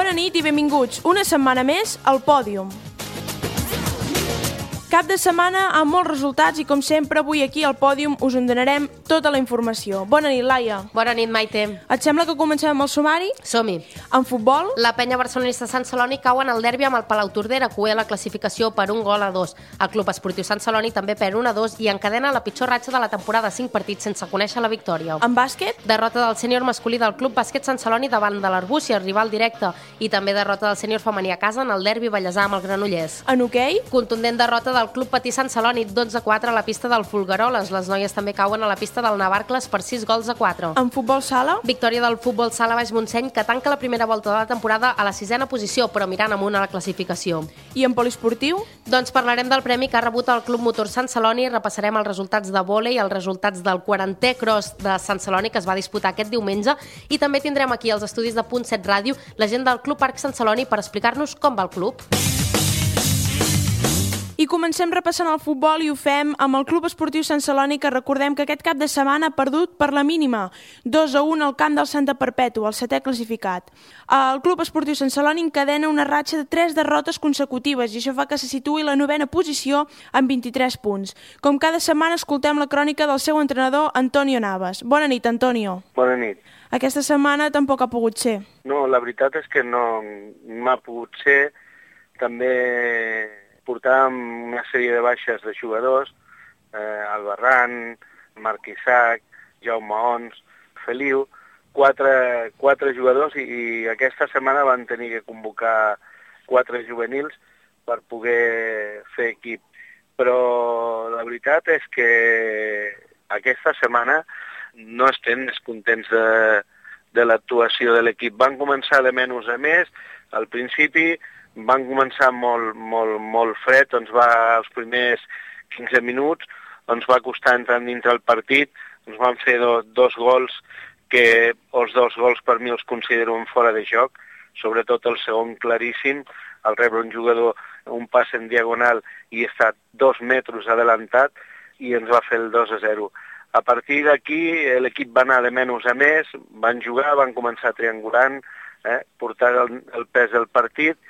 Bona nit i benvinguts una setmana més al Pòdium. Cap de setmana amb molts resultats i, com sempre, avui aquí al Pòdium us en donarem tota la informació. Bona nit, Laia. Bona nit, Maite. Et sembla que comencem amb el sumari? Som-hi. En futbol? La penya barcelonista Sant Celoni cau en el derbi amb el Palautordera, que la classificació per 1-2. El Club Esportiu Sant Celoni també perd 1-2 i encadena la pitjor ratxa de la temporada, 5 partits sense conèixer la victòria. En bàsquet? Derrota del sènior masculí del Club Bàsquet Sant Celoni davant de l'Arbúcies, rival directe, i també derrota del sènior femení a casa en el derbi ballesà amb el Granollers. En hoquei? Contundent derrota del Club Patí Sant Celoni, 12-4 a la pista del Folgueroles. Les noies també cauen a la pista del Navarcles per 6-4. En futbol sala? Victòria del futbol sala Baix Montseny, que tanca la primera volta de la temporada a la 6ª posició, però mirant amunt a la classificació. I en poliesportiu? Doncs parlarem del premi que ha rebut el Club Motor Sant Celoni, repassarem els resultats de vòlei, els resultats del 40è cross de Sant Celoni, que es va disputar aquest diumenge, i també tindrem aquí als estudis de Punt 7 Ràdio la gent del Club Parc Sant Celoni per explicar-nos com va el club. I comencem repassant el futbol i ho fem amb el Club Esportiu Sant Celoni, que recordem que aquest cap de setmana ha perdut per la mínima, 2-1 al camp del Santa Perpètua, el 7è classificat. El Club Esportiu Sant Celoni encadena una ratxa de 3 derrotes consecutives i això fa que se situï a la 9ª posició amb 23 punts. Com cada setmana escoltem la crònica del seu entrenador, Antonio Navas. Bona nit, Antonio. Bona nit. Aquesta setmana tampoc ha pogut ser. No, la veritat és que no m'ha pogut ser. També portàvem una sèrie de baixes de jugadors, Albarrán, Marc Isaac, Jaume Ons, Feliu, quatre jugadors i aquesta setmana van tenir que convocar 4 juvenils per poder fer equip. Però la veritat és que aquesta setmana no estem descontents de l'actuació de l'equip. Van començar de menys a més, al principi van començar molt fred, els primers 15 minuts ens va costar entrar dintre el partit, ens van fer dos gols, que els 2 gols per mi els considero un fora de joc, sobretot el segon claríssim, al rebre un jugador un pas en diagonal i està 2 metres adelantat i ens va fer el 2-0. A partir d'aquí l'equip va anar de menys a més, van jugar, van començar triangulant, portar el pes del partit,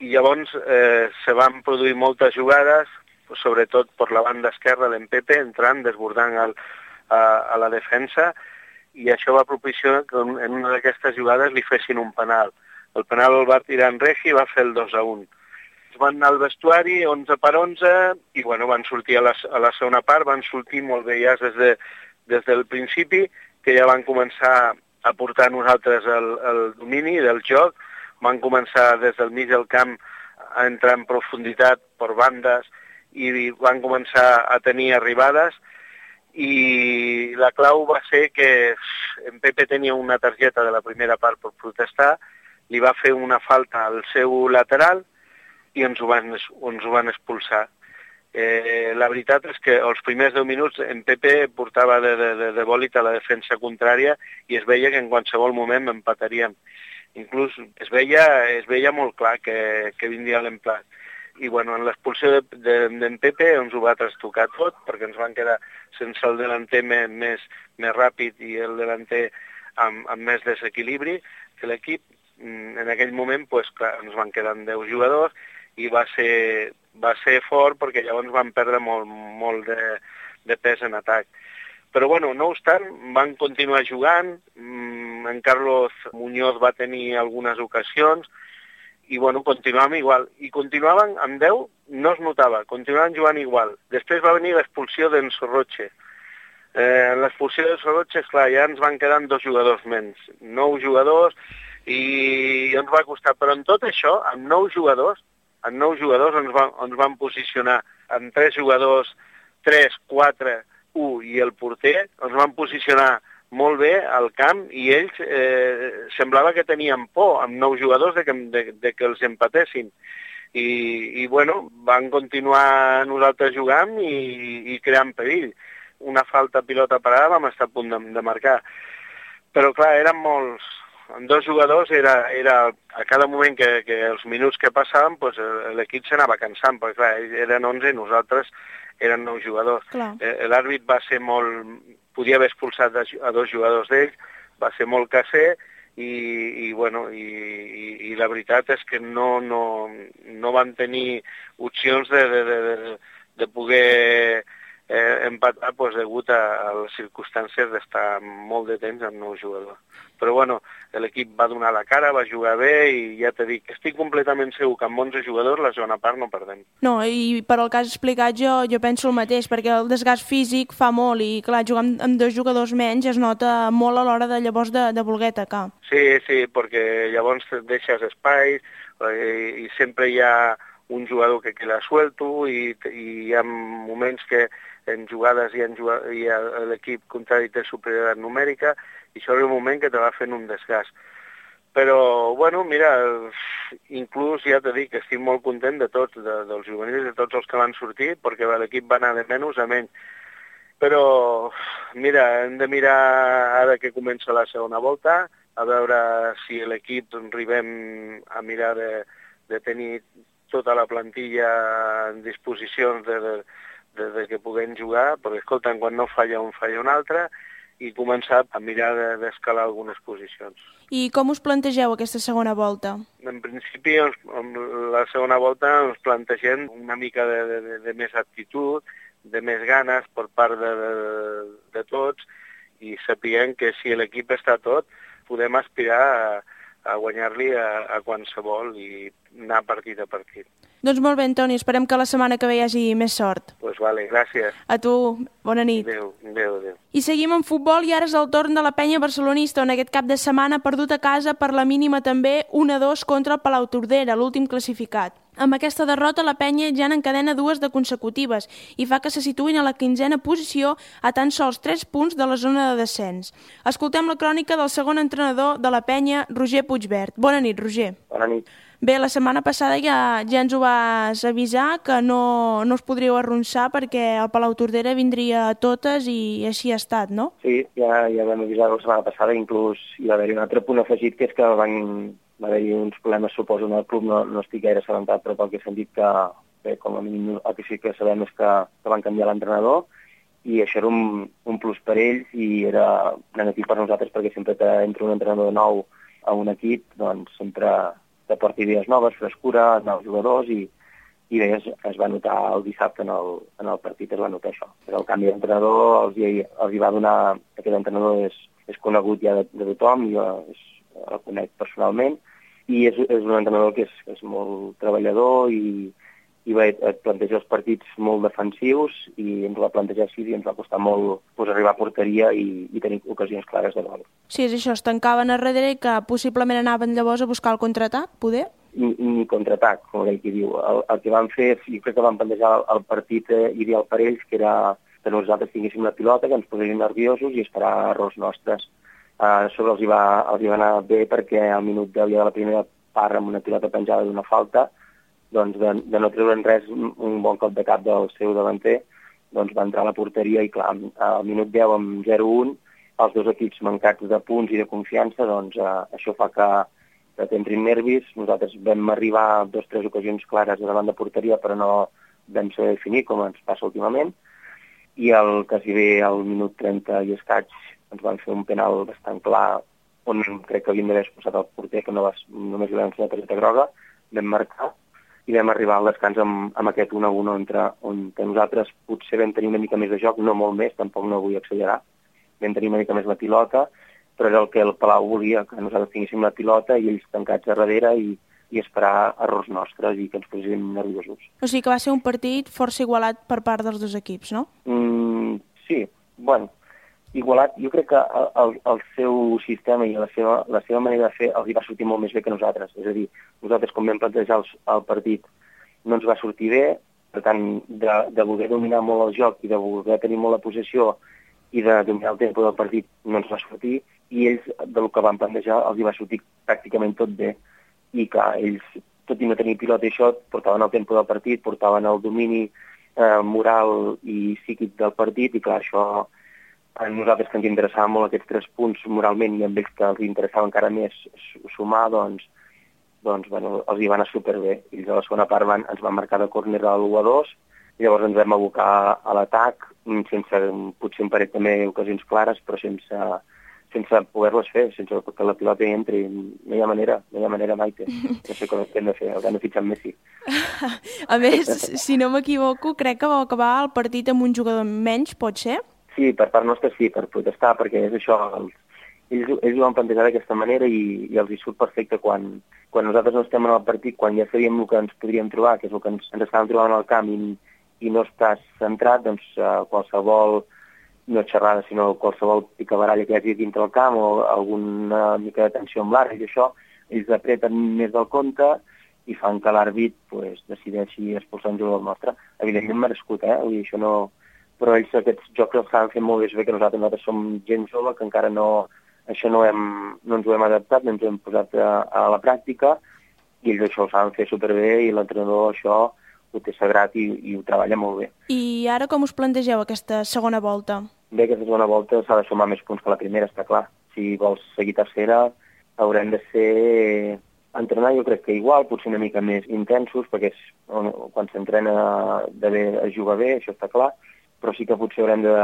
i llavors se van produir moltes jugades, sobretot per la banda esquerra d'en Pepe, entrant, desbordant a la defensa, i això va propiciar que en una d'aquestes jugades li fessin un penal. El penal el va tirar en Regi i va fer el 2-1. Es van anar al vestuari, 11-11, i van sortir a la segona part, van sortir molt bé ja des del principi, que ja van començar a portar nosaltres el domini del joc, van començar des del mig del camp a entrar en profunditat per bandes i van començar a tenir arribades, i la clau va ser que en Pepe tenia una targeta de la primera part per protestar, li va fer una falta al seu lateral i ens ho van expulsar. La veritat és que els primers 10 minuts en Pepe portava de bòlit a la defensa contrària i es veia que en qualsevol moment empataríem. Inclús es veia molt clar que vindria l'emplat. I en l'expulsió d'en Pepe ens ho va trastocar tot, perquè ens van quedar sense el delanter més ràpid i el delanter amb més desequilibri que l'equip. En aquell moment ens van quedar 10 jugadors i va ser fort, perquè llavors van perdre molt de pes en atac. Però no obstant, van continuar jugant, en Carlos Muñoz va tenir algunes ocasions, i continuàvem igual. I continuaven amb 10, no es notava, continuaven jugant igual. Després va venir l'expulsió d'en Sorroche. L'expulsió d'en Sorroche, esclar, ja ens van quedant 2 jugadors menys, 9 jugadors, i ens va costar. Però en tot això, amb 9 jugadors ens van posicionar amb 3 jugadors, 3, 4, 1 i el porter, ens van posicionar molt bé al camp i ells semblava que tenien por amb 9 jugadors de que els empatessin. I van continuar nosaltres jugant i creant perill. Una falta pilota parada vam estar a punt de marcar. Però clar, eren molts. Amb 2 jugadors era a cada moment que els minuts que passaven l'equip s'anava cansant, perquè clar, eren 11 i nosaltres eren 9 jugadors. L'àrbit va ser podia haver expulsat a 2 jugadors d'ells, va ser molt caser i la veritat és que no van tenir opcions de poder empatar degut a les circumstàncies d'estar molt de temps amb nou jugador. Però l'equip va donar la cara, va jugar bé i ja t'he dit que estic completament segur que amb 11 jugadors la segona part no perdem. No, i per al que has explicat jo penso el mateix, perquè el desgast físic fa molt i clar, jugar amb 2 jugadors menys es nota molt a l'hora de llavors de voler atacar. Sí, perquè llavors deixes espais i sempre hi ha un jugador que queda suelto i hi ha moments que en jugades i l'equip contrari té superioritat numèrica i això és un moment que te va fent un desgast. Però, mira, inclús ja t'he dit que estic molt content de tots, dels juvenils, de tots els que van sortir, perquè l'equip va anar de menys a menys. Però, mira, hem de mirar ara que comença la segona volta, a veure si l'equip arribem a mirar de tenir tota la plantilla en disposicions de que puguem jugar, perquè, escolta, quan no falla un, falla un altre, i començar a mirar d'escalar algunes posicions. I com us plantegeu aquesta segona volta? En principi, la segona volta ens plantegem una mica de més actitud, de més ganes per part de tots, i sapiguem que si l'equip està tot, podem aspirar a guanyar-li a qualsevol i anar partit a partit. Doncs molt bé, Antoni, esperem que la setmana que ve hi hagi més sort. Doncs vale, gràcies. A tu, bona nit. Adéu. I seguim en futbol i ara és el torn de la penya barcelonista, on aquest cap de setmana ha perdut a casa per la mínima també 1-2 contra el Palau Tordera, l'últim classificat. Amb aquesta derrota, la penya ja n'encadena 2 de consecutives i fa que se situïn a la 15a posició a tan sols 3 punts de la zona de descens. Escoltem la crònica del segon entrenador de la penya, Roger Puigvert. Bona nit, Roger. Bona nit. Bé, la setmana passada ja ens ho vas avisar que no us podríeu arronsar perquè el Palau Tordera vindria a totes i així ha estat, no? Sí, ja vam avisar la setmana passada, inclús hi va haver un altre punt afegit, que és que va haver-hi uns problemes, suposo, en el club, no estic gaire assabentat, però pel que he sentit que, bé, com a mínim el que sí que sabem és que van canviar l'entrenador i això era un plus per ells i era negatiu per nosaltres perquè sempre que entra un entrenador nou a un equip, doncs sempre t'aporta idees noves, frescura, nous jugadors i bé, es va notar el dissabte en el partit, es va notar això. El canvi d'entrenador els hi va donar, aquest entrenador és conegut ja de tothom, jo el conec personalment i és un entrenador que és molt treballador i et planteja els partits molt defensius i ens va plantejar així i ens va costar molt arribar a porteria i tenir ocasions clares de gol. Sí, és això, es tancaven a darrere i que possiblement anaven llavors a buscar el contraatac, poder? Ni contraatac, com aquell qui diu. El que van fer, jo crec que van plantejar el partit ideal per ells, que era que nosaltres tinguéssim la pilota, que ens poséssim nerviosos i esperar errors nostres. Sobre els hi va anar bé perquè al minut 10 de la primera part amb una pilota penjada d'una falta, doncs de no treure'n res, un bon cop de cap del seu davanter, doncs va entrar a la porteria i clar, al minut 10 amb 0-1, els dos equips mancats de punts i de confiança, doncs això fa que t'entrin nervis. Nosaltres vam arribar a 2 o 3 ocasions clares davant de porteria, però no vam saber definir, com ens passa últimament, i quasi bé al minut 30 i escaig ens van fer un penal bastant clar, on crec que havíem d'haver expulsat el porter, que només li vam fer la targeta groga, vam marcar, i vam arribar al descans amb aquest 1-1 on nosaltres potser vam tenir una mica més de joc, no molt més, tampoc no vull accelerar, vam tenir una mica més la pilota, però era el que el Palau volia, que nosaltres tinguéssim la pilota i ells tancats a darrere i esperar errors nostres i que ens poséssim nerviosos. O sigui que va ser un partit força igualat per part dels dos equips, no? Sí, bueno, igualat, jo crec que el seu sistema i la seva manera de fer els hi va sortir molt més bé que nosaltres. És a dir, nosaltres quan vam plantejar el partit no ens va sortir bé, per tant, de voler dominar molt el joc i de voler tenir molt la possessió i de dominar el tempo del partit no ens va sortir, i ells, del que van plantejar, els hi va sortir pràcticament tot bé. I que ells, tot i no tenir pilota i això, portaven el tempo del partit, portaven el domini moral i psíquic del partit, i clar, això a nosaltres que ens interessaven molt aquests 3 punts moralment i amb ells que els interessava encara més sumar, doncs bueno, els hi va anar superbé. Ells a la segona part ens van marcar de córner a l'1-2 i llavors ens vam abocar a l'atac, sense potser un parell també ocasions clares, però sense sense poder-les fer, sense que la pilota hi entri. No hi ha manera, Maite. No sé com hem de fer, hauran de fitxar Messi. A més, si no m'equivoco, crec que va acabar el partit amb un jugador menys, pot ser? Sí, per part nostra sí, per protestar, perquè és això, ells ho van plantejar d'aquesta manera i els hi surt perfecte quan nosaltres no estem en el partit, quan ja sabíem el que ens podríem trobar, que és el que ens estàvem trobant al camp i no estàs centrat, doncs qualsevol, no xerrada, sinó qualsevol picabaralla que hi hagi dintre el camp o alguna mica de tensió amb l'àrbit i això, ells apreten més del compte i fan que l'àrbit decideixi expulsar un jugador nostre. Evidentment merescut, Vull dir, això no... Però ells aquests jocs els saben fer molt bé que nosaltres som gent jove, que encara no ens ho hem adaptat, no ens ho hem posat a la pràctica, i ells això ho saben fer superbé i l'entrenador això ho té sagrat i ho treballa molt bé. I ara com us plantegeu aquesta segona volta? Bé, aquesta segona volta s'ha de sumar més punts que la primera, està clar. Si vols seguir tercera, haurem de ser... entrenar jo crec que igual, potser una mica més intensos, perquè quan s'entrena de bé es juga bé, això està clar, però sí que potser haurem de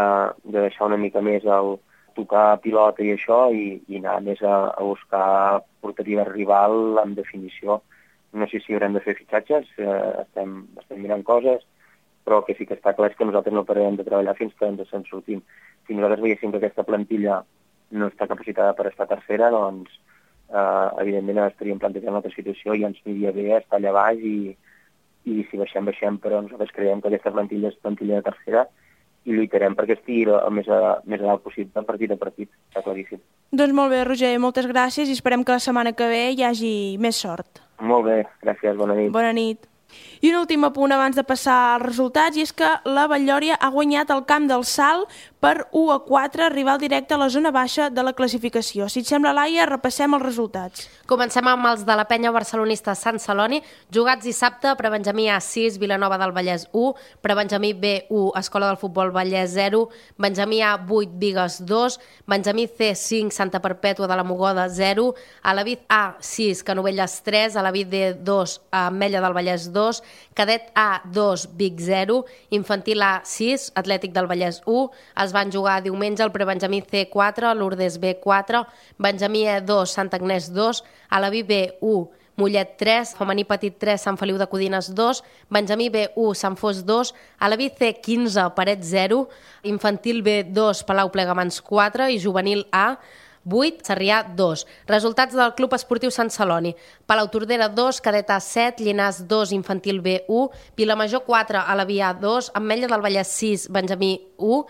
deixar una mica més el tocar pilota i això i anar més a buscar porteria rival amb definició. No sé si haurem de fer fitxatges, estem mirant coses, però el que sí que està clar és que nosaltres no pararem de treballar fins que ens en sortim. Si nosaltres veiéssim que aquesta plantilla no està capacitada per estar tercera, doncs evidentment estaríem plantejant una altra situació i ens aniria bé estar allà baix i si baixem, però nosaltres creiem que aquesta plantilla és plantilla de tercera i lluitarem perquè estigui el més a dalt possible, partit a partit, està claríssim. Doncs molt bé, Roger, moltes gràcies i esperem que la setmana que ve hi hagi més sort. Molt bé, gràcies, bona nit. Bona nit. I un últim apunt abans de passar als resultats, i és que la Batllòria ha guanyat el camp del Salt per 1-4, rival directe a la zona baixa de la classificació. Si et sembla, Laia, repassem els resultats. Comencem amb els de la penya barcelonista Sant Celoni, jugats dissabte, prebenjamí A 6, Vilanova del Vallès 1, prebenjamí B 1, Escola del Futbol Vallès 0, benjamí A 8, Bigues 2, benjamí C 5, Santa Perpètua de la Mogoda 0, Alavid A 6, Canovelles 3, Alavid D 2, Ametlla del Vallès 2, cadet A 2, Vic 0, infantil A 6, Atlètic del Vallès 1, es van jugar diumenge el prebenjamí C 4, Lourdes B 4, benjamí E 2, Sant Agnès 2, Alaví B 1, Mollet 3, femení petit 3, Sant Feliu de Codines 2, benjamí B 1, Sant Fos 2, Alaví C 15, Paret 0, infantil B 2, Palau Plegamans 4 i juvenil A 8, Sarrià 2. Resultats del Club Esportiu Sant Celoni. Palautordera 2, Cadet A 7, Llinars 2, Infantil B 1, Vilamajor 4, Alaví A 2, Ametlla del Vallès 6, Benjamí 1,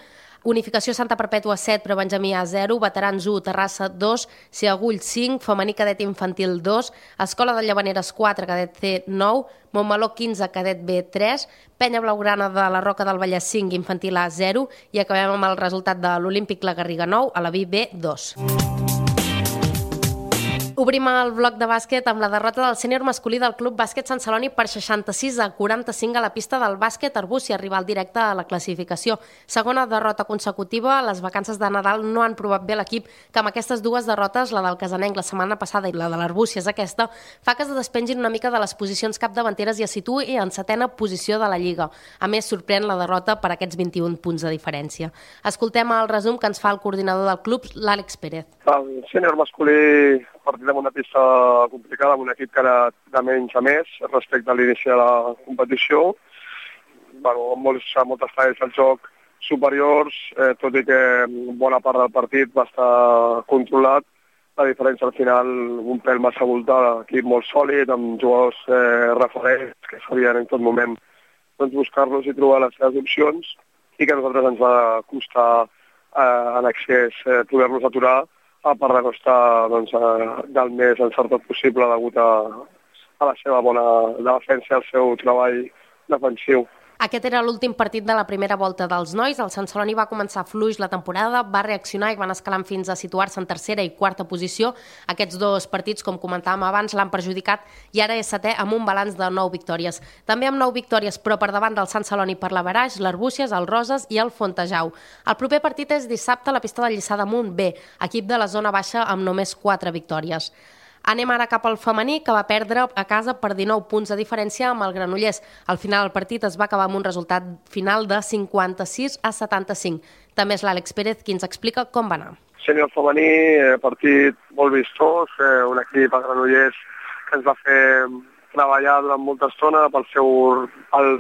Unificació Santa Perpètua 7, Prebenjamí A 0, Veterans 1, Terrassa 2, Ciagull 5, Femení Cadet Infantil 2, Escola de Llavaneres 4, Cadet C 9, Montmeló 15, Cadet B 3, Penya Blaugrana de la Roca del Vallès 5, Infantil A 0 i acabem amb el resultat de l'Olímpic La Garriga 9, Alaví B 2. Obrim el bloc de bàsquet amb la derrota del sènior masculí del Club Bàsquet Sant Celoni per 66-45 a la pista del bàsquet Arbúcies, rival directe a la classificació. Segona derrota consecutiva, les vacances de Nadal no han provat bé l'equip, que amb aquestes dues derrotes, la del Casanenc la setmana passada i la de l'Arbúcies aquesta, fa que es despengin una mica de les posicions capdavanteres i es situï en setena posició de la Lliga. A més, sorprèn la derrota per aquests 21 punts de diferència. Escoltem el resum que ens fa el coordinador del club, l'Àlex Pérez. El sènior masculí partit amb una pista complicada, amb un equip que era de menys a més respecte a l'inici de la competició. Amb moltes falles al joc superiors, tot i que bona part del partit va estar controlat. La diferència al final, un pèl massa voltada, equip molt sòlid, amb jugadors referents que sabien en tot moment buscar-los i trobar les seves opcions i que a nosaltres ens va costar en excés poder-los aturar, a part de no estar del més encertat possible degut a la seva bona defensa i al seu treball defensiu. Aquest era l'últim partit de la primera volta dels nois. El Sant Celoni va començar fluix la temporada, va reaccionar i van escalant fins a situar-se en tercera i quarta posició. Aquests dos partits, com comentàvem abans, l'han perjudicat i ara és setè amb un balanç de 9 victòries. També amb 9 victòries, però per davant del Sant Celoni per l'Averaix, l'Arbúcies, el Roses i el Fontejau. El proper partit és dissabte a la pista del Lliçà d'Amunt B, equip de la zona baixa amb només 4 victòries. Anem ara cap al femení, que va perdre a casa per 19 punts de diferència amb el Granollers. Al final el partit es va acabar amb un resultat final de 56-75. També és l'Àlex Pérez qui ens explica com va anar. Sènior femení, partit molt vistós, un equip a Granollers que ens va fer treballar durant molta estona pel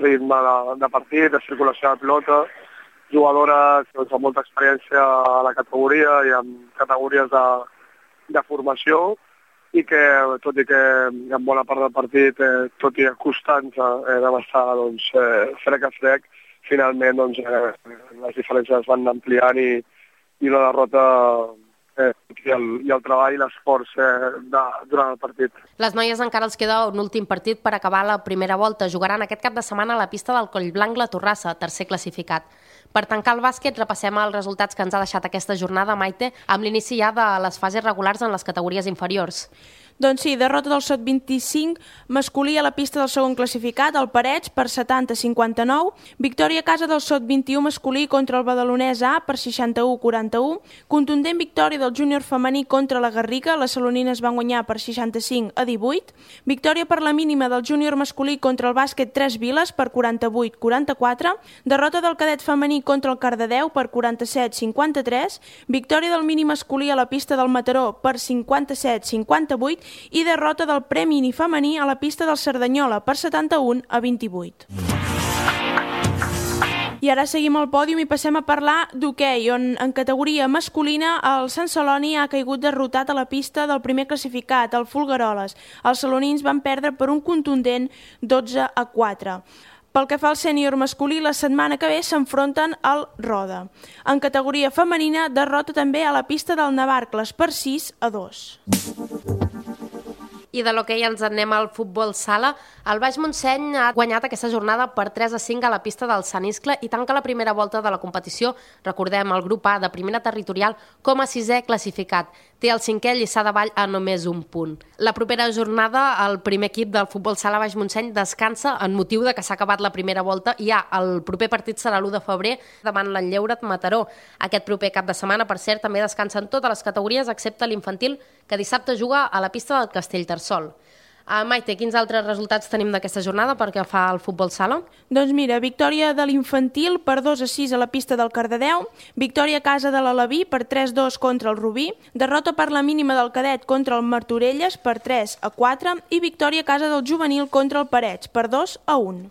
ritme de partit, de circulació de pilota, jugadores amb molta experiència a la categoria i en categories de formació, i que, tot i que en bona part del partit, tot i acostant-se, vam estar frec a frec, finalment les diferències es van ampliant i la derrota i el treball i l'esforç durant el partit. Les noies encara els queda un últim partit per acabar la primera volta. Jugaran aquest cap de setmana a la pista del Collblanc la Torrassa, tercer classificat. Per tancar el bàsquet, repassem els resultats que ens ha deixat aquesta jornada, Maite, amb l'inici ja de les fases regulars en les categories inferiors. Doncs sí, derrota del SOT 25 masculí a la pista del segon classificat, el Parets, per 70-59. Victòria a casa del SOT 21 masculí contra el Badalonès A per 61-41. Contundent victòria del júnior femení contra la Garriga. Les salonines van guanyar per 65-18. Victòria per la mínima del júnior masculí contra el bàsquet 3 Viles per 48-44. Derrota del cadet femení contra el Cardedeu per 47-53. Victòria del mini masculí a la pista del Mataró per 57-58. I derrota del premini femení a la pista del Cerdanyola per 71-28. I ara seguim al pòdium i passem a parlar d'hoquei, on en categoria masculina el Sant Celoni ha caigut derrotat a la pista del primer classificat, el Folgueroles. Els salonins van perdre per un contundent 12-4. Pel que fa al sènior masculí, la setmana que ve s'enfronten al Roda. En categoria femenina, derrota també a la pista del Navarcles per 6-2. I de l'hoquei ens anem al futbol sala. El Baix Montseny ha guanyat aquesta jornada per 3-5 a la pista del Sant Iscle i tanca la primera volta de la competició. Recordem, el grup A de primera territorial com a 6è classificat. Té el 5è Lliçà de Vall a només un punt. La propera jornada, el primer equip del futbol sala Baix Montseny descansa en motiu de que s'ha acabat la primera volta i el proper partit serà l'1 de febrer davant l'Enlleuret Mataró. Aquest proper cap de setmana, per cert, també descansen totes les categories excepte l'infantil, que dissabte juga a la pista del Castellterçol. Maite, quins altres resultats tenim d'aquesta jornada perquè fa el futbol sala? Doncs mira, victòria de l'infantil per 2-6 a la pista del Cardedeu, victòria a casa de l'Alaví per 3-2 contra el Rubí, derrota per la mínima del cadet contra el Martorelles per 3-4 i victòria a casa del juvenil contra el Parets per 2-1.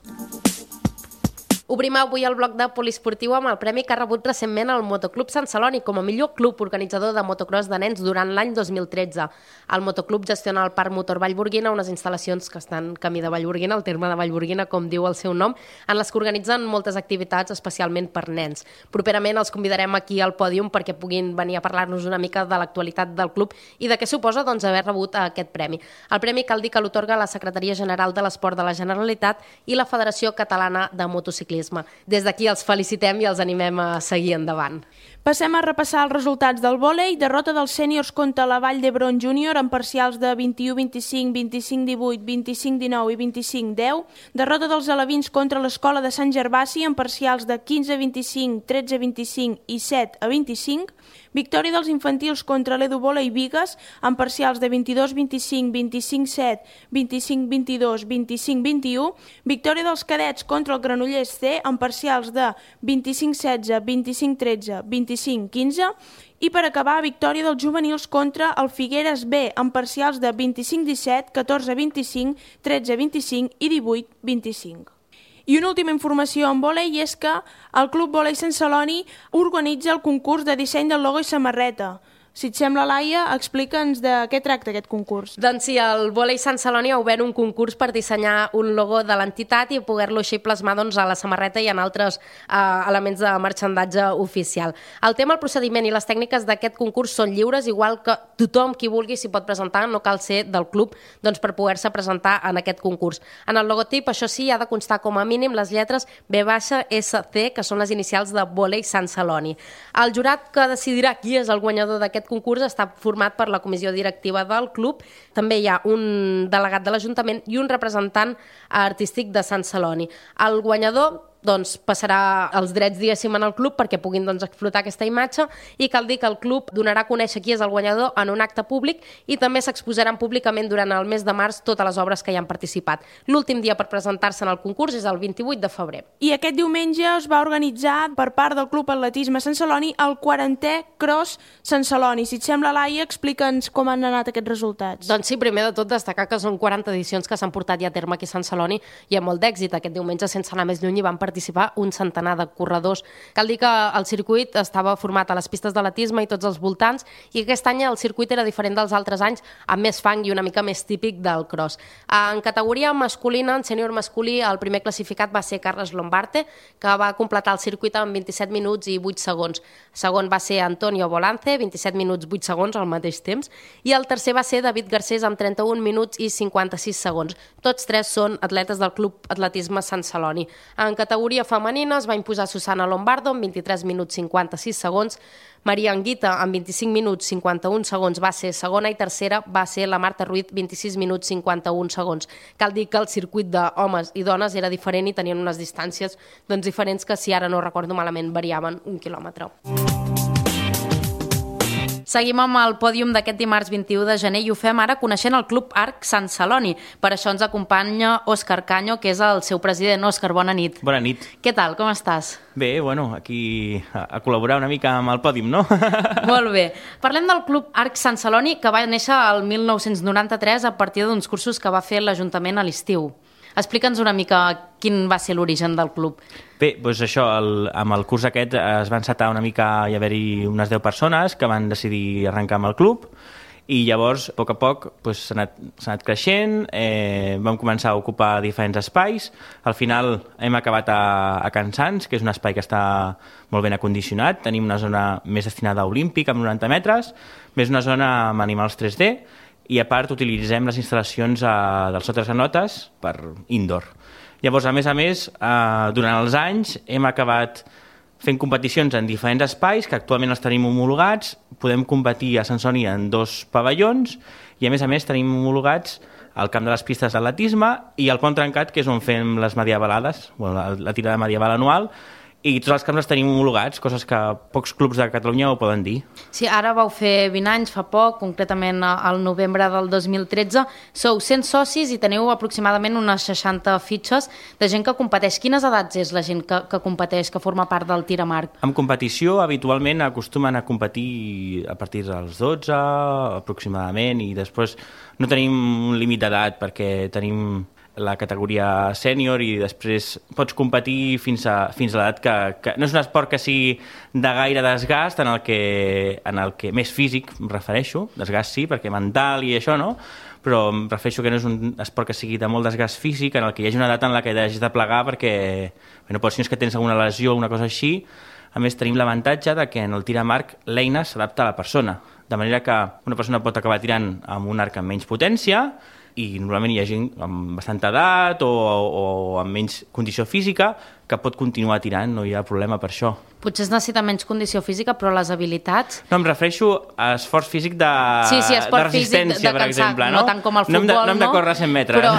Obrim avui el bloc de poliesportiu amb el premi que ha rebut recentment el Motoclub Sant Celoni com a millor club organitzador de motocross de nens durant l'any 2013. El motoclub gestiona el Parc Motor Vallburguina, unes instal·lacions que estan camí de Vallburguina, el terme de Vallburguina, com diu el seu nom, en les que organitzen moltes activitats, especialment per nens. Properament els convidarem aquí al pòdium perquè puguin venir a parlar-nos una mica de l'actualitat del club i de què suposa haver rebut aquest premi. El premi cal dir que l'otorga la Secretaria General de l'Esport de la Generalitat i la Federació Catalana de Motociclisme. Des d'aquí els felicitem i els animem a seguir endavant. Passem a repassar els resultats del vòlei. Derrota dels sèniors contra la Vall d'Hebron Júnior en parcials de 21-25, 25-18, 25-19 i 25-10. Derrota dels alevins contra l'Escola de Sant Gervasi en parcials de 15-25, 13-25 i 7-25. Victòria dels infantils contra l'Edu Vòlei Bigues en parcials de 22-25, 25-7, 25-22, 25-21. Victòria dels cadets contra el Granollers C en parcials de 25-16, 25-13, 25-15. I per acabar, victòria dels juvenils contra el Figueres B en parcials de 25-17, 14-25, 13-25 i 18-25. I una última informació en vòlei és que el Club Vòlei Sant Celoni organitza el concurs de disseny del logo i samarreta. Si et sembla, Laia, explica'ns de què tracta aquest concurs. Doncs sí, el Vòlei Sant Celoni ha obert un concurs per dissenyar un logo de l'entitat i poder-lo així plasmar a la samarreta i en altres elements de marxandatge oficial. El tema, el procediment i les tècniques d'aquest concurs són lliures, igual que tothom qui vulgui s'hi pot presentar, no cal ser del club per poder-se presentar en aquest concurs. En el logotip, això sí, ha de constar com a mínim les lletres B-SC, que són les inicials de Vòlei Sant Celoni. El jurat que decidirà qui és el guanyador d'aquest concurs està format per la comissió directiva del club. També hi ha un delegat de l'Ajuntament i un representant artístic de Sant Celoni. El guanyador doncs, passarà els drets, diguéssim, en el club perquè puguin explotar aquesta imatge, i cal dir que el club donarà a conèixer qui és el guanyador en un acte públic i també s'exposaran públicament durant el mes de març totes les obres que hi han participat. L'últim dia per presentar-se en el concurs és el 28 de febrer. I aquest diumenge es va organitzar per part del Club Atletisme Sant Celoni el 40è Cross Sant Celoni. Si et sembla, Laia, explica'ns com han anat aquests resultats. Doncs sí, primer de tot destacar que són 40 edicions que s'han portat ja a terme aquí a Sant Celoni i amb molt d'èxit. Aquest diumenge, sense anar més lluny, hi van participar un centenar de corredors. Cal dir que el circuit estava format a les pistes d'atletisme i tots els voltants, i aquest any el circuit era diferent dels altres anys, amb més fang i una mica més típic del cross. En categoria masculina, en sènior masculí, el primer classificat va ser Carles Lombarte, que va completar el circuit en 27 minuts i 8 segons. Segon va ser Antonio Volance, 27 minuts 8 segons al mateix temps, i el tercer va ser David Garcés amb 31 minuts i 56 segons. Tots tres són atletes del Club Atletisme Sant Celoni. En categoria femenina es va imposar Susana Lombardo amb 23 minuts 56 segons, Maria Anguita amb 25 minuts 51 segons va ser segona, i tercera va ser la Marta Ruiz, 26 minuts 51 segons. Cal dir que el circuit d'homes i dones era diferent i tenien unes distàncies diferents que, si ara no recordo malament, variaven 1 quilòmetre. Seguim amb el pòdium d'aquest dimarts 21 de gener i ho fem ara coneixent el Club Arc Sant Celoni. Per això ens acompanya Òscar Caño, que és el seu president. Òscar, bona nit. Bona nit. Què tal, com estàs? Bé, bueno, aquí a col·laborar una mica amb el pòdium, no? Molt bé. Parlem del Club Arc Sant Celoni, que va néixer el 1993 a partir d'uns cursos que va fer l'Ajuntament a l'estiu. Explica'ns una mica quin va ser l'origen del club. Bé, doncs això, amb el curs aquest es va encetar una mica, hi haver-hi unes 10 persones que van decidir arrencar amb el club, i llavors, a poc, s'ha anat creixent, vam començar a ocupar diferents espais. Al final hem acabat a Can Sants, que és un espai que està molt ben acondicionat. Tenim una zona més destinada a olímpic, amb 90 metres, més una zona amb animals 3D, i a part utilitzem les instal·lacions del Sotres Granotes per indoor. Llavors, a més, durant els anys hem acabat fent competicions en diferents espais que actualment els tenim homologats. Podem competir a Sant Celoni en 2 pavellons i, a més, tenim homologats al camp de les pistes d'atletisme i al Pont Trencat, que és on fem les medievalades, la tirada medieval anual, i tots els camps els tenim homologats, coses que pocs clubs de Catalunya ho poden dir. Sí, ara vau fer 20 anys, fa poc, concretament al novembre del 2013. Sou 100 socis i teniu aproximadament unes 60 fitxes de gent que competeix. Quines edats és la gent que competeix, que forma part del tir amb arc? En competició, habitualment acostumen a competir a partir dels 12, aproximadament, i després no tenim un límit d'edat perquè tenim la categoria sènior i després pots competir fins a l'edat que no és un esport que sigui de gaire desgast, en el que més físic em refereixo, desgast sí, perquè mental i això no, però em refereixo que no és un esport que sigui de molt desgast físic, en el que hi hagi una edat en la que hagis de plegar perquè no pots, si no és que tens alguna lesió o una cosa així. A més, tenim l'avantatge de que en el tir amb arc l'eina s'adapta a la persona, de manera que una persona pot acabar tirant amb un arc amb menys potència, i normalment hi ha gent amb bastanta edat o amb menys condició física que pot continuar tirant, no hi ha problema per això. Potser es necessita menys condició física, però les habilitats... No, em refereixo a esforç físic de resistència, per exemple. No tant com el futbol, no hem de córrer 100 metres. Però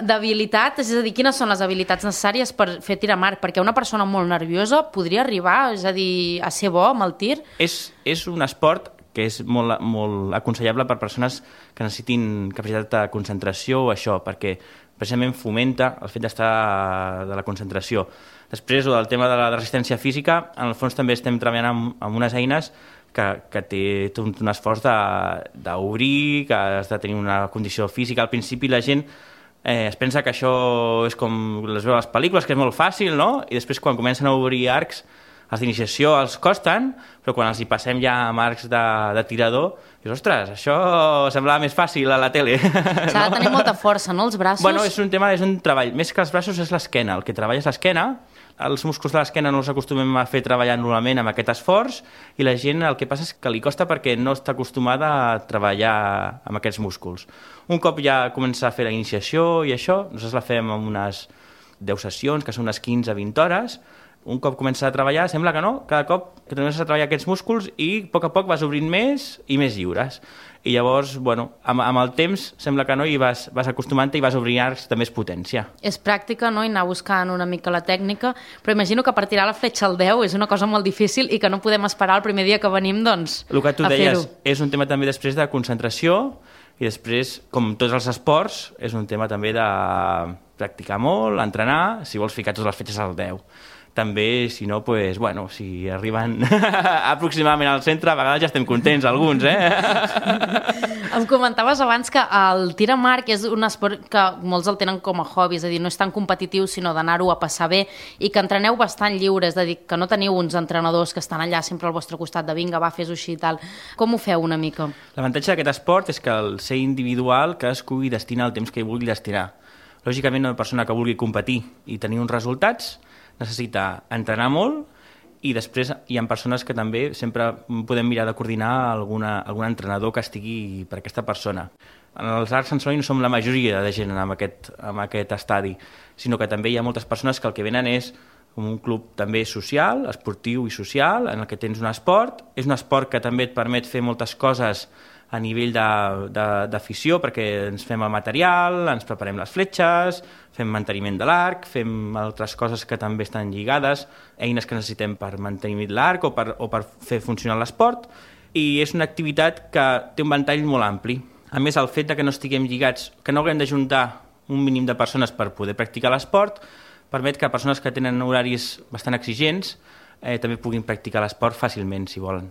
d'habilitat, és a dir, quines són les habilitats necessàries per fer tir amb arc? Perquè una persona molt nerviosa podria arribar, és a dir, a ser bo amb el tir? És un esport que és molt aconsellable per persones que necessitin capacitat de concentració o això, perquè precisament fomenta el fet d'estar de la concentració. Després, el tema de la resistència física, en el fons també estem treballant amb unes eines que té tot un esforç d'obrir, que has de tenir una condició física. Al principi la gent es pensa que això és com les veu a les pel·lícules, que és molt fàcil, no? I després quan comencen a obrir arcs, els d'iniciació els costen, però quan els hi passem ja amb arcs de tirador, dius, ostres, això semblava més fàcil a la tele. S'ha de tenir molta força, no, els braços? Bueno, és un treball. Més que els braços és l'esquena. El que treballa és l'esquena. Els músculs de l'esquena no els acostumem a fer treballar normalment amb aquest esforç i la gent el que passa és que li costa perquè no està acostumada a treballar amb aquests músculs. Un cop ja comença a fer la iniciació i això, nosaltres la fem amb unes 10 sessions, que són unes 15-20 hores, Un cop comences a treballar, sembla que no, cada cop que comences a treballar aquests músculs i a poc vas obrint més i més lliures. I llavors, bueno, amb el temps sembla que no i vas acostumant-te i vas obrint arcs de més potència. És pràctica, no?, i anar buscant una mica la tècnica, però imagino que per tirar la fletxa al 10 és una cosa molt difícil i que no podem esperar el primer dia que venim, doncs, el que tu a deies, fer-ho. és un tema també després de concentració i després, com tots els esports, és un tema també de practicar molt, entrenar, si vols ficar totes les fletxes al 10. També, si no, pues, bueno, si arriben aproximadament al centre, a vegades ja estem contents, alguns, Em comentaves abans que el tir amb arc és un esport que molts el tenen com a hobby, és a dir, no és tan competitiu, sinó d'anar-ho a passar bé, i que entreneu bastant lliure, és a dir, que no teniu uns entrenadors que estan allà sempre al vostre costat de vinga, va, fes-ho així i tal. Com ho feu una mica? L'avantatge d'aquest esport és que al ser individual cadascú hi destina el temps que hi vulgui destinar. Lògicament, una persona que vulgui competir i tenir uns resultats necessita entrenar molt i després hi ha persones que també sempre podem mirar de coordinar algun entrenador que estigui per aquesta persona. En els arcs Sant Celoni no som la majoria de gent en aquest estadi, sinó que també hi ha moltes persones que el que venen és un club també social, esportiu i social, en el que tens un esport. És un esport que també et permet fer moltes coses a nivell d'afició, perquè ens fem el material, ens preparem les fletxes, fem manteniment de l'arc, fem altres coses que també estan lligades, eines que necessitem per mantenir l'arc o per fer funcionar l'esport, i és una activitat que té un ventall molt ampli. A més, el fet que no estiguem lligats, que no haguem d'ajuntar un mínim de persones per poder practicar l'esport, permet que persones que tenen horaris bastant exigents també puguin practicar l'esport fàcilment, si volen.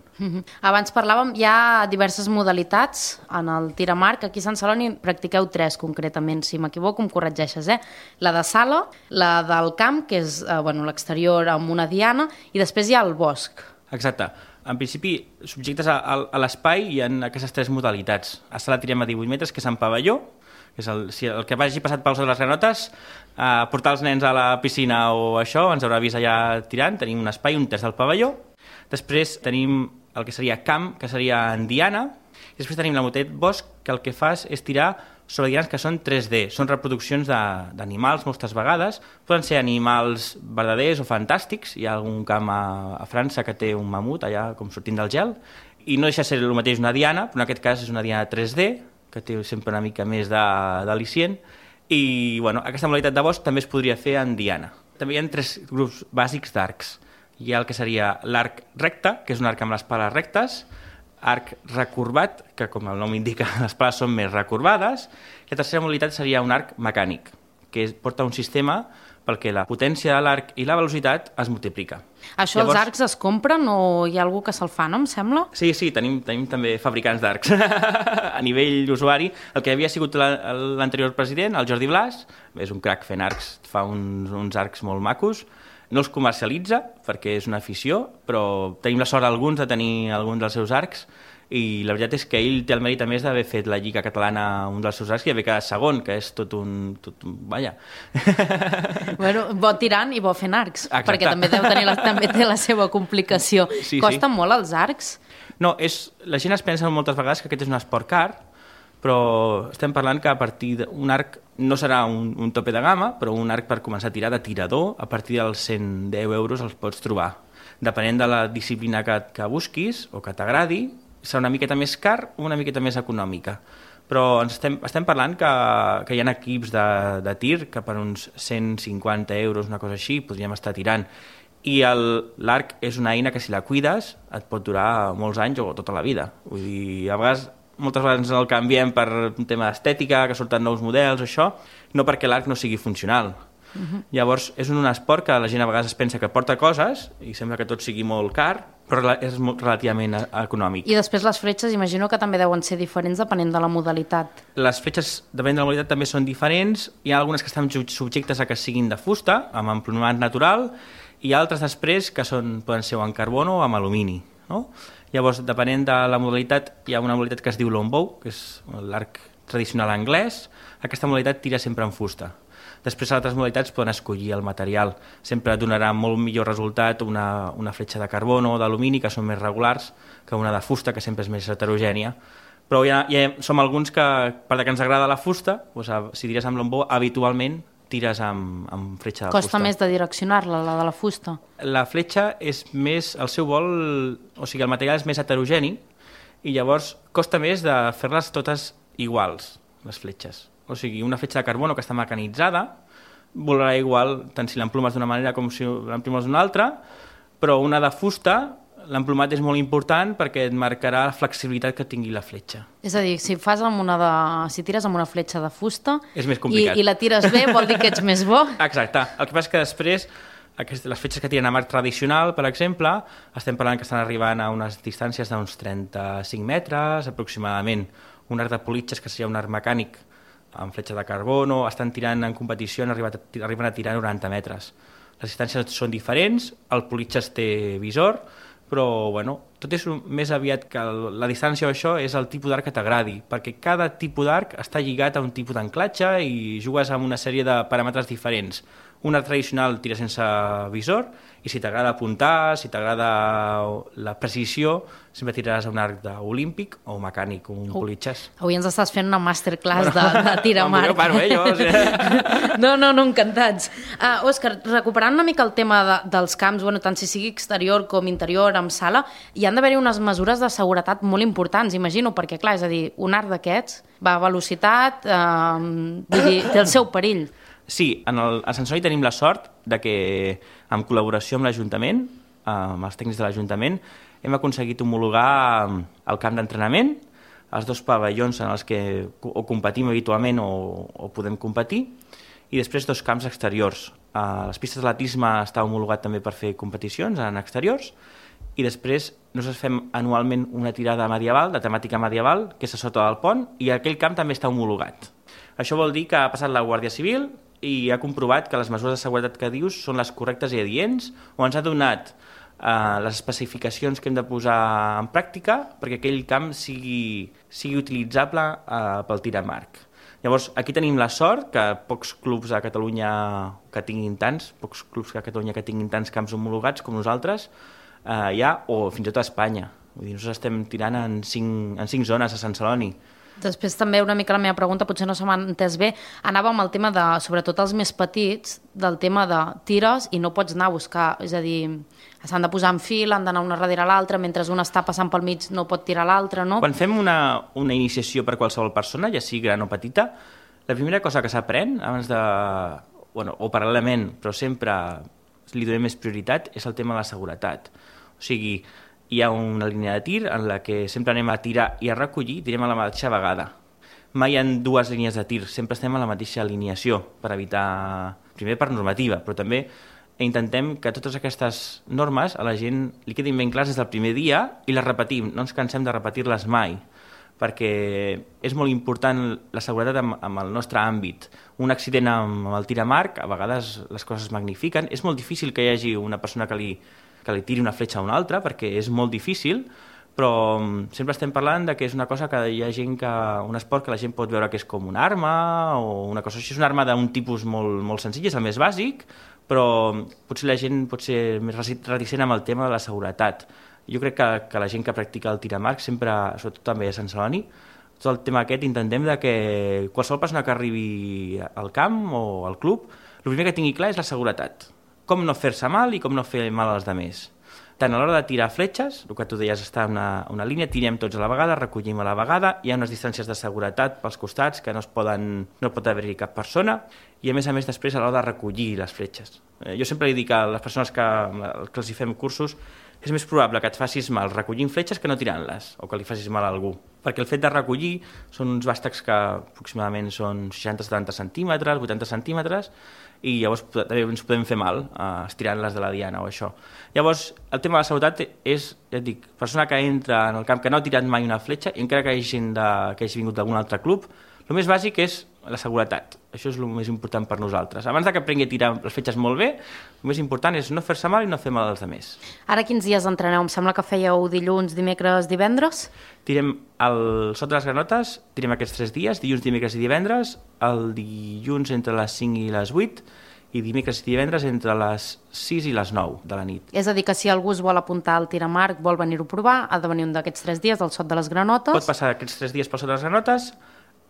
Abans parlàvem, hi ha diverses modalitats en el tir amb arc. Aquí a Sant Celoni practiqueu 3 concretament, si m'equivoco em corregeixes, La de sala, la del camp, que és l'exterior amb una diana, i després hi ha el bosc. Exacte. En principi, subjectes a l'espai hi ha aquestes 3 modalitats. A sala tirem a 18 metres, que és en pavelló, que és el que vagi passat pels de les granotes, portar els nens a la piscina o això, ens haurà vist allà tirant, tenim un espai, un terç del pavelló. Després tenim el que seria camp, que seria en diana, i després tenim la modalitat bosc, que el que fas és tirar sobre dianes que són 3D, són reproduccions d'animals moltes vegades, poden ser animals verdaders o fantàstics, hi ha algun camp a França que té un mamut allà com sortint del gel, i no deixa de ser el mateix una diana, però en aquest cas és una diana 3D, que té sempre una mica més d'al·licient, i aquesta modalitat de bosc també es podria fer en diana. També hi ha 3 grups bàsics d'arcs. Hi ha el que seria l'arc recte, que és un arc amb les pales rectes, arc recorbat, que com el nom indica, les pales són més recorbades, i la tercera modalitat seria un arc mecànic, que porta un sistema pel que la potència de l'arc i la velocitat es multiplica. Això llavors, els arcs es compren o hi ha algú que se'l fa, no em sembla? Sí, tenim també fabricants d'arcs a nivell d'usuari. El que havia sigut l'anterior president, el Jordi Blas, és un crac fent arcs, fa uns arcs molt macos, no els comercialitza perquè és una afició, però tenim la sort alguns de tenir algun dels seus arcs, i la veritat és que ell té el mèrit a més d'haver fet la Lliga Catalana un dels seus arcs i haver quedat segon, que és tot un vaja. Bo tirant i bo fent arcs. Exacte. Perquè també té la seva complicació. Sí. Costen molt els arcs? No, la gent es pensa moltes vegades que aquest és un esport car, però estem parlant que a partir d'un arc no serà un tope de gamma, però un arc per començar a tirar de tirador, a partir dels 110 euros els pots trobar. Depenent de la disciplina que busquis o que t'agradi, serà una miqueta més car o una miqueta més econòmica. Però estem parlant que hi ha equips de tir que per uns 150 euros, una cosa així, podríem estar tirant. I l'arc és una eina que si la cuides et pot durar molts anys o tota la vida. Vull dir, moltes vegades el canviem per un tema d'estètica, que surten nous models, això, no perquè l'arc no sigui funcional. Llavors, és un esport que la gent a vegades es pensa que porta coses i sembla que tot sigui molt car, però és relativament econòmic. I després les fletxes imagino que també deuen ser diferents depenent de la modalitat. Les fletxes, depenent de la modalitat, també són diferents. Hi ha algunes que estan subjectes a que siguin de fusta, amb emplomament natural, i altres després que poden ser o en carbono o amb alumini. No? Llavors, depenent de la modalitat, hi ha una modalitat que es diu longbow, que és l'arc tradicional anglès. Aquesta modalitat tira sempre en fusta. Després, altres modalitats poden escollir el material. Sempre donarà molt millor resultat una fletxa de carbono o d'alumini, que són més regulars, que una de fusta, que sempre és més heterogènia. Però ja som alguns que, per que ens agrada la fusta, doncs, si tires amb longbow, habitualment tires amb fletxa de fusta. Costa més de direccionar-la, la de la fusta. La fletxa és més, el seu vol, o sigui, el material és més heterogeni i llavors costa més de fer-les totes iguals, les fletxes. O sigui, una fletxa de carbono que està mecanitzada volarà igual tant si l'emplumes d'una manera com si l'emplumes d'una altra, però una de fusta, l'emplumat és molt important perquè et marcarà la flexibilitat que tingui la fletxa. És a dir, si tires amb una fletxa de fusta és més complicat. I la tires bé, vol dir que ets més bo? Exacte. El que passa és que després, les fletxes que tiren a marc tradicional, per exemple, estem parlant que estan arribant a unes distàncies d'uns 35 metres, aproximadament. Un arc de politges, que seria un arc mecànic amb fletxa de carbono, estan tirant en competició, arriben a tirar 90 metres. Les distàncies són diferents, el politges té visor, però tot és més aviat que la distància o això és el tipus d'arc que t'agradi, perquè cada tipus d'arc està lligat a un tipus d'anclatge i jugues amb una sèrie de paràmetres diferents. Un arc tradicional tira sense visor i si t'agrada apuntar, si t'agrada la precisió, sempre tiraràs a un arc olímpic o mecànic, un politges. Avui ens estàs fent una masterclass de tir amb arc. Jo paro, No, encantats. Òscar, recuperant una mica el tema dels camps, tant si sigui exterior com interior, amb sala, hi han d'haver-hi unes mesures de seguretat molt importants, imagino, perquè, clar, és a dir, un arc d'aquests va a velocitat, té el seu perill. Sí, a Sant Celoni tenim la sort de que, en col·laboració amb l'Ajuntament, amb els tècnics de l'Ajuntament, hem aconseguit homologar el camp d'entrenament, els 2 pavellons en els que o competim habitualment o podem competir, i després 2 camps exteriors. Les pistes d'atletisme està homologat també per fer competicions en exteriors, i després nosaltres fem anualment una tirada medieval, de temàtica medieval, que és a sota del pont, i aquell camp també està homologat. Això vol dir que ha passat la Guàrdia Civil i ha comprovat que les mesures de seguretat que dius són les correctes i adients, o ens ha donat les especificacions que hem de posar en pràctica perquè aquell camp sigui utilitzable pel tir amb arc. Llavors, aquí tenim la sort que pocs clubs a Catalunya que tinguin tants camps homologats com nosaltres hi ha, o fins i tot a Espanya. Vull dir, nosaltres estem tirant en 5 zones a Sant Celoni. Després també una mica la meva pregunta, potser no se m'ha entès bé, anava amb el tema de, sobretot els més petits, del tema de tires i no pots anar a buscar, és a dir, s'han de posar en fil, han d'anar una darrere l'altra, mentre una està passant pel mig no pot tirar l'altra, no? Quan fem una iniciació per qualsevol persona, ja sigui gran o petita, la primera cosa que s'aprèn, abans de, o paral·lelament, però sempre li donem més prioritat, és el tema de la seguretat. O sigui, hi ha una línia de tir en la que sempre anem a tirar i a recollir, tirem a la mateixa vegada. Mai hi ha 2 línies de tir, sempre estem a la mateixa alineació per evitar, primer per normativa, però també intentem que totes aquestes normes a la gent li quedin ben clars des del primer dia i les repetim, no ens cansem de repetir-les mai, perquè és molt important la seguretat amb el nostre àmbit. Un accident amb el tir amb arc, a vegades les coses es magnifiquen, és molt difícil que hi hagi una persona que li tiri una fletxa a una altra, perquè és molt difícil, però sempre estem parlant de que és una cosa que hi ha gent un esport que la gent pot veure que és com una arma o una cosa així. És una arma d'un tipus molt senzill, és el més bàsic, però potser la gent pot ser més reticent amb el tema de la seguretat. Jo crec que la gent que practica el tir amb arc, sempre, sobretot també a Sant Celoni, tot el tema aquest intentem que qualsevol persona que arribi al camp o al club, el primer que tingui clar és la seguretat. Com no fer-se mal i com no fer mal als altres. Tant a l'hora de tirar fletxes, el que tu deies està en una línia, tirem tots a la vegada, recollim a la vegada, hi ha unes distàncies de seguretat pels costats que no pot haver-hi cap persona, i a més després a l'hora de recollir les fletxes. Jo sempre li dic a les persones que els hi fem cursos, és més probable que et facis mal recollint fletxes que no tirant-les, o que li facis mal a algú. Perquè el fet de recollir són uns bàstecs que aproximadament són 60-70 centímetres, 80 centímetres, i llavors també ens podem fer mal estirant-les de la diana o això. Llavors, el tema de la seguretat és, ja et dic, persona que entra en el camp que no ha tirat mai una fletxa, i encara que hi hagi gent que hagi vingut d'algun altre club, el més bàsic és la seguretat. Això és el més important per nosaltres. Abans que aprengui a tirar les fletxes molt bé, el més important és no fer-se mal i no fer mal als altres. Ara quins dies entreneu? Em sembla que fèieu dilluns, dimecres, divendres? Tirem sota les granotes, tirem aquests 3 dies, dilluns, dimecres i divendres, el dilluns entre les 5 i les 8, i dimecres i divendres entre les 6 i les 9 de la nit. És a dir, que si algú es vol apuntar al tir amb arc, vol venir-ho a provar, ha de venir un d'aquests 3 dies al Sot de les Granotes. Pot passar aquests 3 dies pel Sot de les Granotes,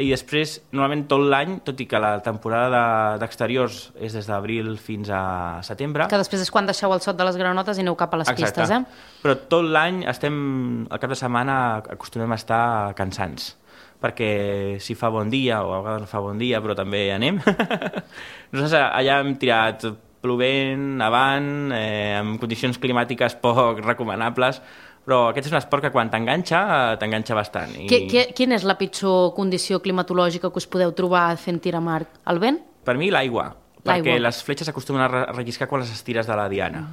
I després, normalment tot l'any, tot i que la temporada d'exteriors és des d'abril fins a setembre... Que després és quan deixeu el sot de les granotes i aneu cap a les pistes, eh? Però tot l'any al cap de setmana acostumem a estar cansants, perquè si fa bon dia, o a vegades no fa bon dia, però també hi anem. Nosaltres allà hem tirat plovent, avant, amb condicions climàtiques poc recomanables, però aquest és un esport que quan t'enganxa bastant. Quina és la pitjor condició climatològica que us podeu trobar fent tir amb arc? El vent? Per mi l'aigua, perquè les fletxes s'acostumen a relliscar quan les estires de la diana.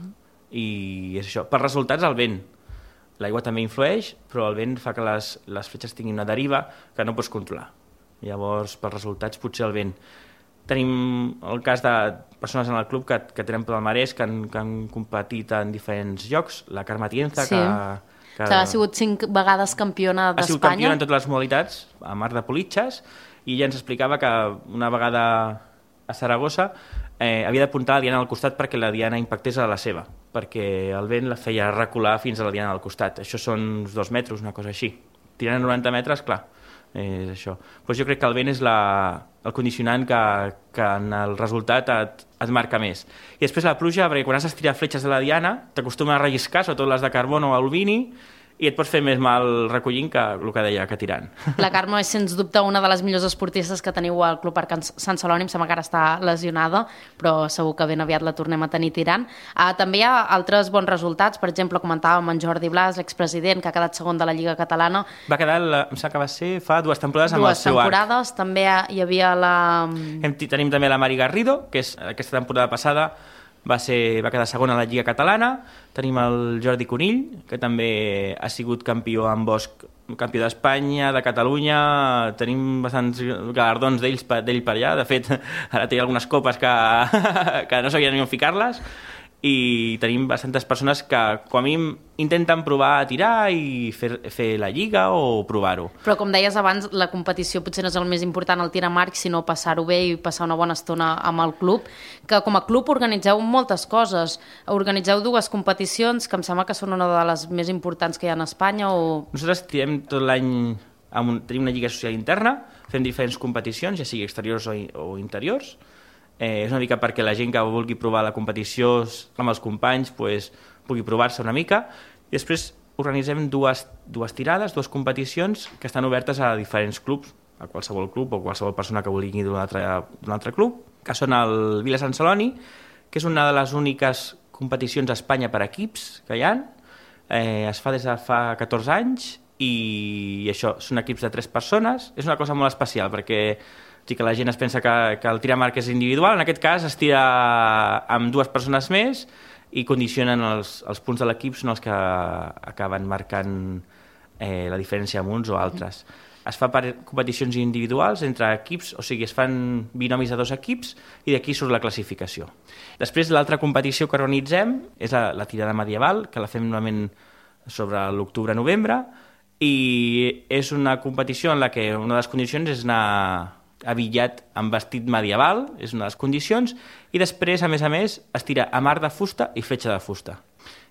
I és això. Per resultats, el vent. L'aigua també influeix, però el vent fa que les fletxes tinguin una deriva que no pots controlar. Llavors, per resultats, potser el vent. Tenim el cas de persones en el club que tenen palmarès, que han competit en diferents llocs. La Carme Tienza, que ha sigut 5 vegades campiona d'Espanya. Ha sigut campiona en totes les modalitats, a mar de politxes, i ella ens explicava que una vegada a Saragossa havia d'apuntar la diana al costat perquè la diana impactés a la seva, perquè el vent la feia recular fins a la diana al costat. Això són uns 2 metres, una cosa així. Tirant a 90 metres, clar, és això. Però jo crec que el vent és el condicionant que en el resultat et marca més. I després la pluja, perquè quan has d'estirar fletxes de la diana t'acostumen a relliscar, sobretot les de carbon o alumini, i et pots fer més mal recollint que el que deia, que tirant. La Carme és, sens dubte, una de les millors esportistes que teniu al Club Arc Sant Celoni. Em sembla que ara està lesionada, però segur que ben aviat la tornem a tenir tirant. També hi ha altres bons resultats. Per exemple, comentàvem en Jordi Blas, l'expresident, que ha quedat segon de la Lliga Catalana. Va quedar, em sembla que va ser fa 2 temporades amb el seu arc. 2 temporades. També hi havia la... Tenim també la Mari Garrido, que és aquesta temporada passada va quedar segona a la Lliga Catalana. Tenim el Jordi Conill, que també ha sigut campió en bosc, campió d'Espanya, de Catalunya. Tenim bastants galardons d'ell per allà. De fet, ara té algunes copes que no sabien ni on ficar-les. I tenim bastantes persones que, com a mínim, intenten provar a tirar i fer la lliga o provar-ho. Però, com deies abans, la competició potser no és el més important, el tir amb arc, sinó passar-ho bé i passar una bona estona amb el club, que com a club organitzeu moltes coses. Organitzeu 2 competicions, que em sembla que són una de les més importants que hi ha a Espanya. Nosaltres tirem tot l'any, tenim una lliga social interna, fem diferents competicions, ja sigui exteriors o interiors. És una mica perquè la gent que vulgui provar la competició amb els companys pugui provar-se una mica, i després organitzem dues tirades, 2 competicions que estan obertes a diferents clubs, a qualsevol club o qualsevol persona que vulgui d'un altre club, que són el Vila Sant Celoni, que és una de les úniques competicions a Espanya per equips que hi ha. Es fa des de fa 14 anys i això, són equips de 3 persones. És una cosa molt especial perquè sí que la gent es pensa que el tir amb arc és individual. En aquest cas es tira amb 2 persones més i condicionen els punts de l'equip, són els que acaben marcant la diferència amb uns o altres. Es fa per competicions individuals entre equips, o sigui, es fan binomis de 2 equips i d'aquí surt la classificació. Després, l'altra competició que organitzem és la tirada medieval, que la fem normalment sobre l'octubre-novembre, i és una competició en la que una de les condicions és anar abillat amb vestit medieval, és una de les condicions, i després, a més, es tira amb arc de fusta i fletxa de fusta.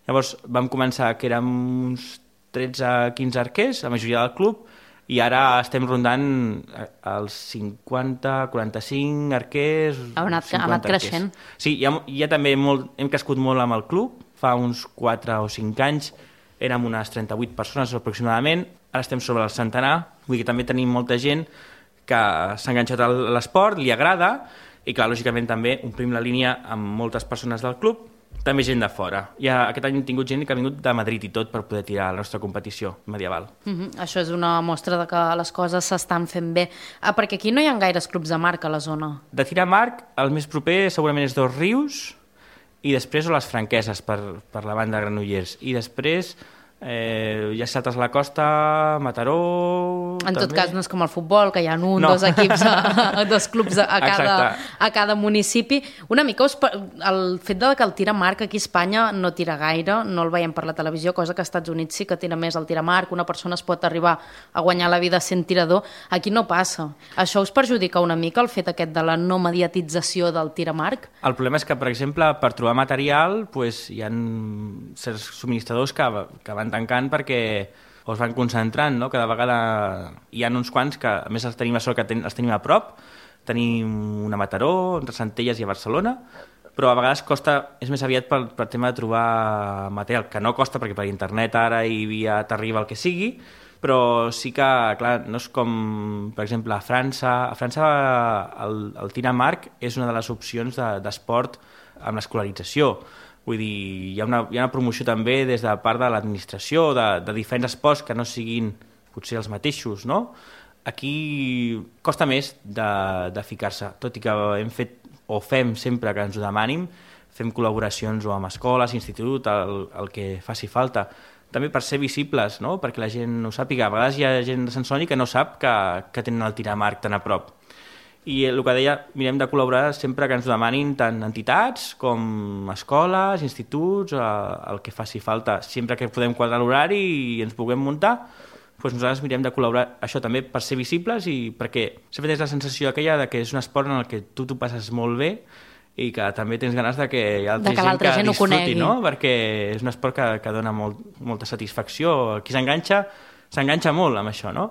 Llavors vam començar que érem uns 13-15 arquers, la majoria del club, i ara estem rondant els 50-45 arquers. Ha anat creixent. Sí, ja també hem crescut molt amb el club, fa uns 4 o 5 anys érem unes 38 persones aproximadament, ara estem sobre el centenar, vull dir que també tenim molta gent que s'ha enganxat a l'esport, li agrada, i clar, lògicament també omplim la línia amb moltes persones del club, també gent de fora. Aquest any hem tingut gent que ha vingut de Madrid i tot per poder tirar la nostra competició medieval. Això és una mostra de que les coses s'estan fent bé. Perquè aquí no hi ha gaires clubs de marc a la zona. De tir amb arc, el més proper segurament és Dos Rius, i després les Franqueses per la banda de Granollers. I després ja saltes la costa, Mataró... En tot cas no és com el futbol, que hi ha dos equips, 2 clubs a cada municipi. Una mica el fet que el tir amb arc aquí a Espanya no tira gaire, no el veiem per la televisió, cosa que als Estats Units sí que tira més el tir amb arc, una persona es pot arribar a guanyar la vida sent tirador, aquí no passa. Això us perjudica una mica el fet aquest de la no mediatització del tir amb arc? El problema és que, per exemple, per trobar material hi ha certs subministradors que van tancant perquè o es van concentrant, no? Cada vegada hi ha uns quants que, a més, els tenim la sort que els tenim a prop. Tenim una a Mataró, entre Centelles i a Barcelona, però a vegades és més aviat per tema de trobar material, que no costa perquè per internet ara i via t'arriba el que sigui, però sí que, clar, no és com, per exemple, a França. A França el tir amb arc és una de les opcions d'esport amb l'escolarització. Vull dir, hi ha una promoció també des de part de l'administració, de diferents esports que no siguin potser els mateixos, no? Aquí costa més de ficar-se, tot i que hem fet o fem sempre que ens ho demanin, fem col·laboracions o amb escoles, institut, el que faci falta. També per ser visibles, no? Perquè la gent ho sàpiga. A vegades hi ha gent de Sant Celoni que no sap que tenen el tir amb arc tan a prop. I el que deia, mirem de col·laborar sempre que ens ho demanin tant entitats com escoles, instituts, el que faci falta. Sempre que podem quadrar l'horari i ens puguem muntar, doncs nosaltres mirem de col·laborar, això també per ser visibles i perquè sempre tens la sensació aquella de que és un esport en el que tu t'ho passes molt bé i que també tens ganes de que hi ha altra gent que disfruti, no? Perquè és un esport que dona molta satisfacció. Qui s'enganxa molt amb això, no?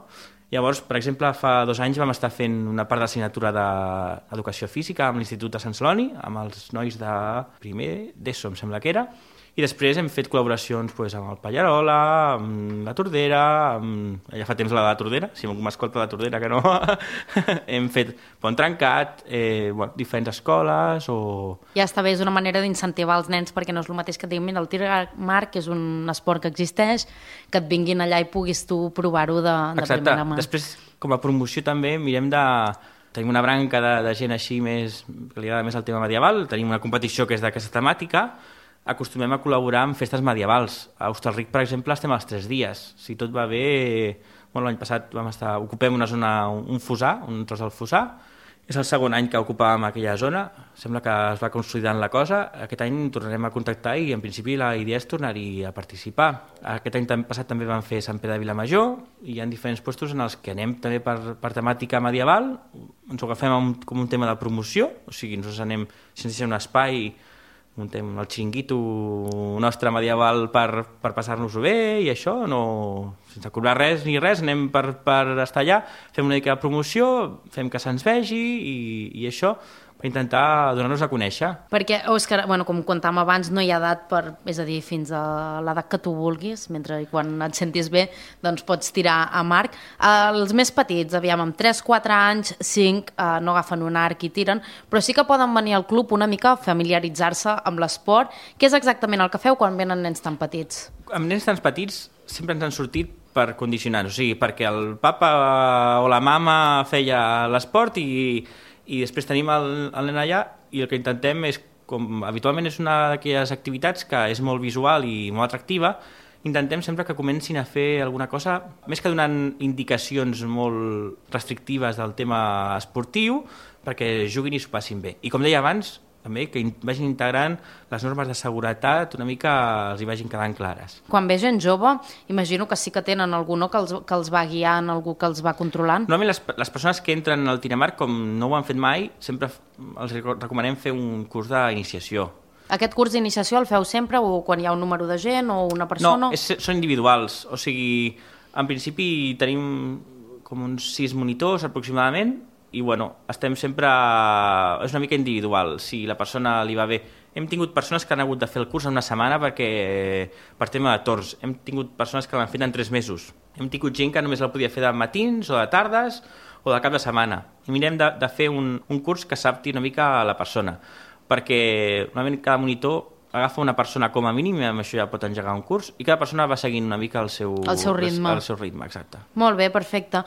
Llavors, per exemple, fa 2 anys vam estar fent una part de l'assignatura d'Educació Física amb l'Institut de Sant Celoni, amb els nois de primer d'ESO, em sembla que era, i després hem fet col·laboracions amb el Pallarola, amb la Tordera, ja fa temps la Tordera, si algú m'escolta la Tordera que no, hem fet Pont Trencat, diferents escoles o... Ja està bé, és una manera d'incentivar els nens perquè no és el mateix que et diguin, mira, el tir amb arc és un esport que existeix, que et vinguin allà i puguis tu provar-ho de primera mà. Després, com a promoció també, mirem tenim una branca de gent així que li agrada més el tema medieval, tenim una competició que és d'aquesta temàtica, acostumem a col·laborar amb festes medievals. A Hostalric, per exemple, estem als 3 dies. Si tot va bé, l'any passat ocupem una zona, un fossar, un tros del fossar. És el segon any que ocupàvem aquella zona. Sembla que es va consolidant la cosa. Aquest any tornarem a contactar i, en principi, la idea és tornar-hi a participar. Aquest any passat també vam fer Sant Pere de Vilamajor i hi ha diferents llocs en els que anem també per temàtica medieval. Ens ho agafem com un tema de promoció, o sigui, nosaltres anem, si ens deixem un espai, muntem el xiringuito nostre medieval per passar-nos-ho bé i això, sense cobrar res ni res, anem per estar allà, fem una mica de promoció, fem que se'ns vegi i això, per intentar donar-nos a conèixer. Perquè, Òscar, com contàvem abans, no hi ha edat és a dir, fins a l'edat que tu vulguis, mentre quan et sentis bé, doncs pots tirar amb arc. Els més petits, amb 3, 4 anys, 5, no agafen un arc i tiren, però sí que poden venir al club una mica a familiaritzar-se amb l'esport. Què és exactament el que feu quan venen nens tan petits? Amb nens tan petits sempre ens han sortit per condicionar-nos, o sigui, perquè el papa o la mama feia l'esport i després tenim el nen allà i el que intentem és, com habitualment és una d'aquelles activitats que és molt visual i molt atractiva, intentem sempre que comencin a fer alguna cosa, més que donant indicacions molt restrictives del tema esportiu, perquè juguin i s'ho passin bé. I com deia abans, també que vagin integrant les normes de seguretat, una mica els hi vagin quedant clares. Quan ve gent jove, imagino que sí que tenen algú que els va guiant, algú que els va controlant. Normalment les persones que entren al tir amb arc, com no ho han fet mai, sempre els recomanem fer un curs d'iniciació. Aquest curs d'iniciació el feu sempre o quan hi ha un número de gent o una persona? No, són individuals, o sigui, en principi tenim com uns 6 monitors aproximadament, i estem sempre... És una mica individual, si la persona li va bé. Hem tingut persones que han hagut de fer el curs en una setmana per tema de torns. Hem tingut persones que l'han fet en 3 mesos. Hem tingut gent que només el podia fer de matins o de tardes o de cap de setmana. I mirem de fer un curs que s'adapti una mica a la persona, perquè normalment cada monitor agafa una persona com a mínim i amb això ja pot engegar un curs i cada persona va seguint una mica el seu ritme. El seu ritme, exacte. Molt bé, perfecte.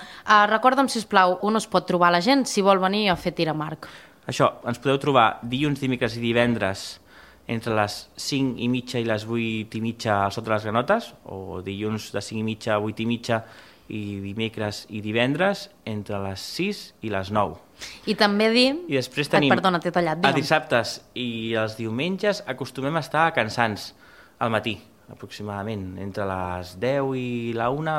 Recorda'm, sisplau, on es pot trobar la gent si vol venir a fer tir amb arc? Això, ens podeu trobar dilluns, dimecres i divendres entre les 5:30 i les 8:30 al Sot de les Granotes, o dilluns de 5:30 a 8:30 i dimecres i divendres entre les 6 i les 9. I també dir... I després tenim... Perdona, t'he tallat. Els dissabtes i els diumenges acostumem a estar a Cansans al matí, aproximadament. Entre les 10 i la 1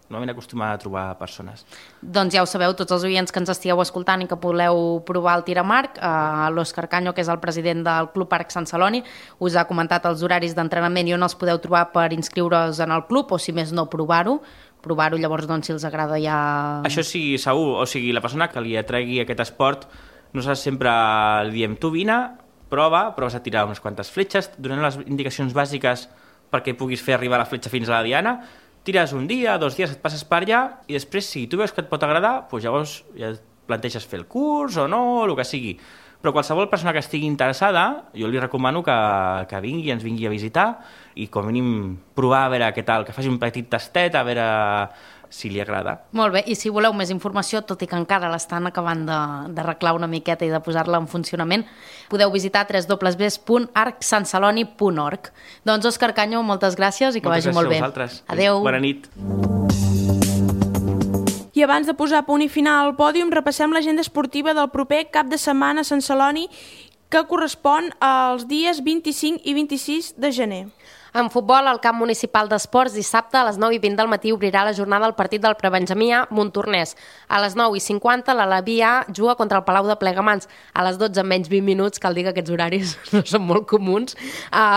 normalment acostuma a trobar persones. Doncs ja ho sabeu, tots els oients que ens estigueu escoltant i que voleu provar el tir a marc, l'Òscar Canyo, que és el president del Club Arc Sant Celoni, us ha comentat els horaris d'entrenament i on els podeu trobar per inscriure's en el club, o si més no, provar-ho, llavors doncs, si els agrada ja... Això sí, segur, o sigui, la persona que li atregui aquest esport, nosaltres sempre li diem, tu vine, proves a tirar unes quantes fletxes, donem les indicacions bàsiques perquè puguis fer arribar la fletxa fins a la diana, tires un dia, 2 dies, et passes per allà, i després, si tu veus que et pot agradar, doncs llavors ja et planteges fer el curs o no, el que sigui. Però qualsevol persona que estigui interessada, jo li recomano que vingui, ens vingui a visitar, i com a mínim provar a veure què tal, que faci un petit tastet, a veure si li agrada. Molt bé, i si voleu més informació, tot i que encara l'estan acabant d'arreglar una miqueta i de posar-la en funcionament, podeu visitar www.arcsanceloni.org. Doncs Òscar Canyo, moltes gràcies i que vagi molt bé. Moltes gràcies a vosaltres. Adéu. Bona nit. I abans de posar punt i final al pòdium, repassem l'agenda esportiva del proper cap de setmana a Sant Celoni, que correspon als dies 25 i 26 de gener. En futbol, al camp municipal d'esports, dissabte a les 9:20 del matí obrirà la jornada el partit del Prebenjamí A Montornès. A les 9:50 l'Alaví A juga contra el Palau de Plegamans. A les 12 menys 20 minuts, cal dir que aquests horaris no són molt comuns,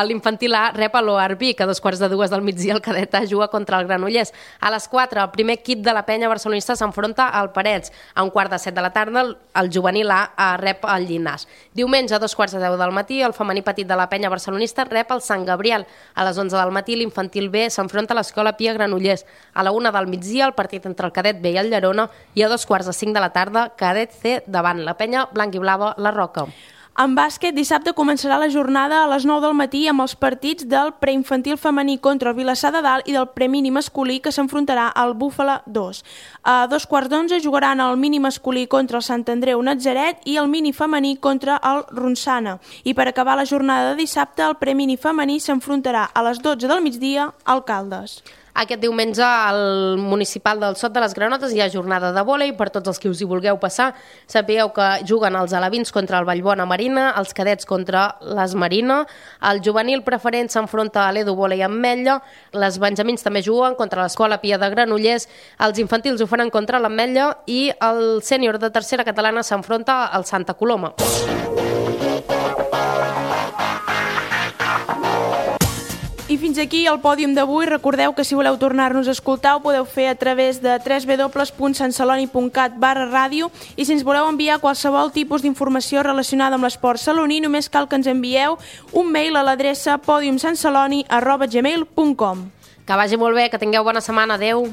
l'infantil A rep a l'OARBI, que a 2:45 del migdia el cadet A juga contra el Granollers. A les 4 el primer equip de la penya barcelonista s'enfronta al Parets. A 1:45 de la tarda el juvenil A rep el Llinars. Diumenge a 2:10 del matí el femení petit de la penya barcelonista rep el Sant Gabriel. A les 11 del matí l'infantil B s'enfronta a l'Escola Pia Granollers. A la 1 del migdia el partit entre el cadet B i el Llerona, i a 4:45 de la tarda cadet C davant la penya blanc i blava La Roca. En bàsquet, dissabte començarà la jornada a les 9 del matí amb els partits del preinfantil femení contra el Vilassar de Dalt i del premini masculí, que s'enfrontarà al Búfala 2. A 2:15 jugaran el mini masculí contra el Sant Andreu Natzaret i el mini femení contra el Ronçana. I per acabar la jornada de dissabte, el premini femení s'enfrontarà a les 12 del migdia al Caldes. Aquest diumenge al municipal del Sot de les Granotes hi ha jornada de vòlei per tots els que us hi vulgueu passar. Sapigueu que juguen els alevins contra el Vallbona Marina, els cadets contra les Marina, el juvenil preferent s'enfronta a l'Edu Vòlei amb Metlla, les benjamins també juguen contra l'Escola Pia de Granollers, els infantils ho faran contra l'Ametlla i el sènior de tercera catalana s'enfronta al Santa Coloma. I fins aquí el pòdium d'avui. Recordeu que si voleu tornar-nos a escoltar ho podeu fer a través de www.santceloni.cat/ràdio, i si ens voleu enviar qualsevol tipus d'informació relacionada amb l'esport saloní, només cal que ens envieu un mail a l'adreça podiumsantceloni@gmail.com. Que vagi molt bé, que tingueu bona setmana. Adéu.